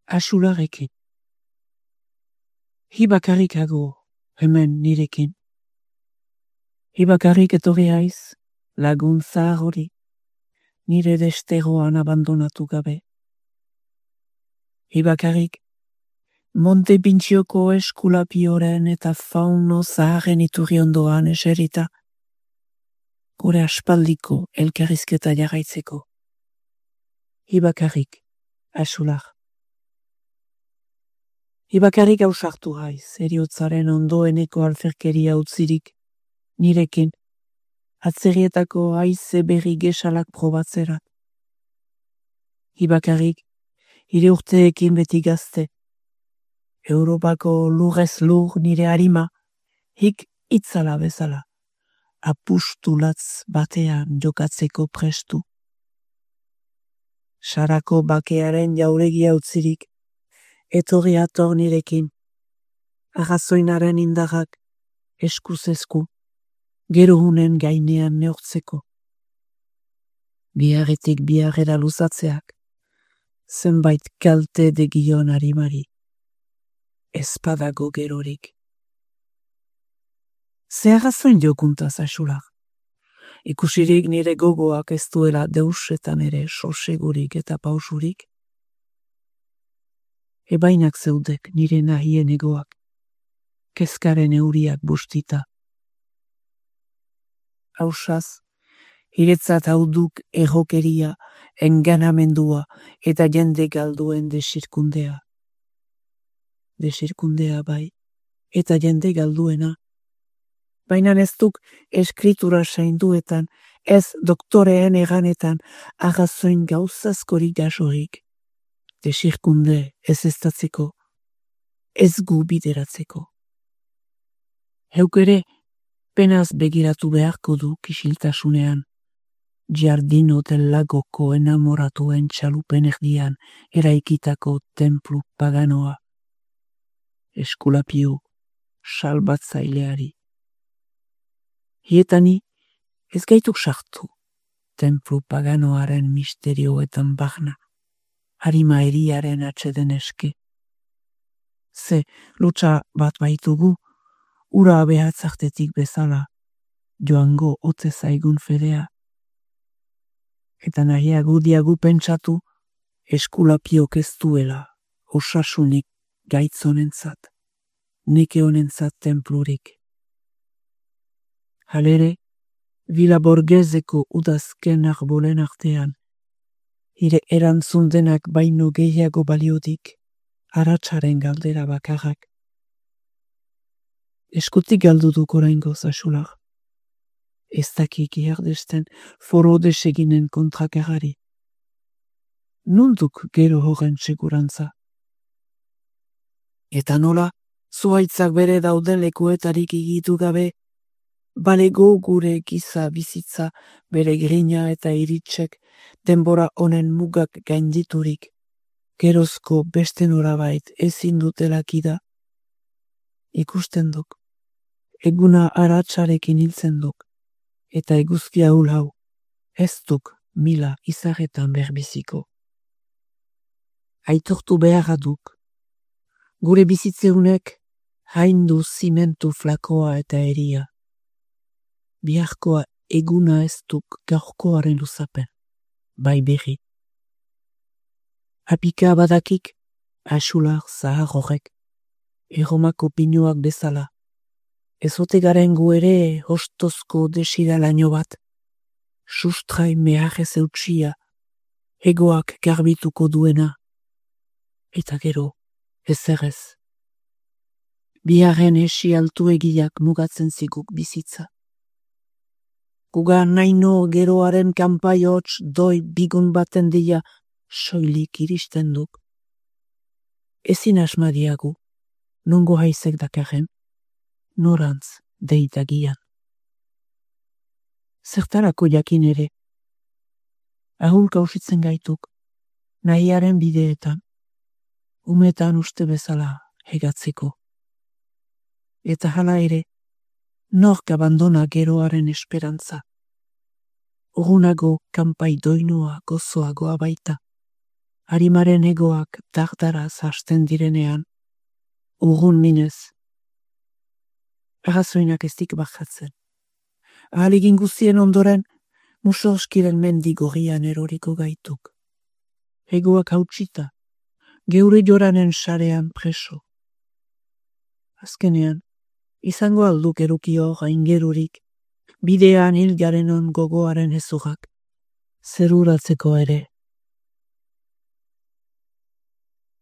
Axularekin. Hi bakarrikago hemen nirekin. Hi bakarrik etorri haiz, lagun zahar hori, nire desteroan abandonatu gabe. Hi bakarrik, Monte Pintxioko eskulapioren eta fauno zaharren iturri ondoan eserita, gure aspaldiko elkarrizketa jarraitzeko. Hi bakarrik, axular. Hi bakarrik ausartu haiz, heriotzaren ondoeneko alferkeria utzirik, nirekin, atzerrietako haize berri gesalak probatzerat. Hi bakarrik, hire urteekin beti gazte, Europako lurrez lur nire harima, hik itzala bezala, apustulatz batean jokatzeko prestu. Sarako bakearen jauregia utzirik, etorri ator nirekin, arrazoinaren indarrak eskuz esku, gerohunen gainean neortzeko. Biarretik biarrera luzatzeak, zenbait kalte degion harimari, espadago gerorik. Ze arrazoin jokuntaz axular. Ikusirik nire gogoak ez duela deusetan ere sosegurik eta pausurik. Ebainak zeudek nire nahien egoak, kezkaren euriak bustita. Hausaz, hiretzat hauduk errokeria, enganamendua eta jende galduen desirkundea. Desirkundea bai, eta jende galduena. Baina ez duk eskritura sainduetan, ez doktoreen eganetan, arrazoin gauzazkorik jasorik. Desirkunde ez estatzeko, ez gu bideratzeko. Heuk ere, penaz begiratu beharko du kisiltasunean, Giardino del Lagoko enamoratuen txalupen erdian eraikitako templu paganoa. Eskulapio, salbatzaileari. Hietani ez gaituk sartu, templu paganoaren misterioetan barna, harima eriaren atxeden eske. Ze lutsa bat baitugu, ura behatzartetik bezala, joango ote zaigun fedea. Eta nahiago diagu pentsatu, Eskulapiok ez duela, osasunik gaitzonentzat, neke honentzat templurik. Halere, Villa Borgheseko udazken arbolen artean, hire erantzun denak baino gehiago baliodik, aratsaren galdera bakarrak. Eskutik galdu duk oraingoz axular. Ez dakik iardesten foro deseginen kontrakarari. Nunduk gero horren segurantza. Eta nola, zuhaitzak bere dauden lekuetarik igitu gabe, balego gure giza bizitza bere grina eta iritsek denbora honen mugak gainditurik, gerozko beste norabait ezin dutelakida. Ikusten duk, eguna aratsarekin hiltzen duk, eta eguzkia hau, ez duk mila izarretan berbiziko. Aitortu beharra duk, gure bizitzeunek haindu zimentu flakoa eta eria. Biharkoa eguna ez duk gaurkoaren luzapen, bai berri. Apika badakik, axular zahar horrek, erromako pinuak bezala. Ezote garen gu ere hostozko desiralaino bat, sustrai meharrez eutxia, egoak garbituko duena, eta gero, ezerrez. Biharren esi altu egiak mugatzen ziguk bizitza. Guga naino geroaren kanpai hots doi bigun baten dia soilik iristen duk. Ezin asmadiagu, nongo haizek dakarren, norantz deitagian. Zertarako jakin ere, ahul kausitzen gaituk, nahiaren bideetan, umetan uste bezala hegatzeko. Eta hala ere, nork abandona geroaren esperantza. Urunago kanpai doinoa gozoagoa baita, harimaren egoak dardaraz hasten direnean, urrun minez. Arrazoinak ez dik bajatzen. Ahalegin guztien ondoren, musorskiren mendi gorrian eroriko gaituk. Egoak hautsita, geure joranen sarean preso. Azkenean, izango alduk erukio gaingerurik, bidean hil garenon gogoaren ezurak, zeruratzeko ere.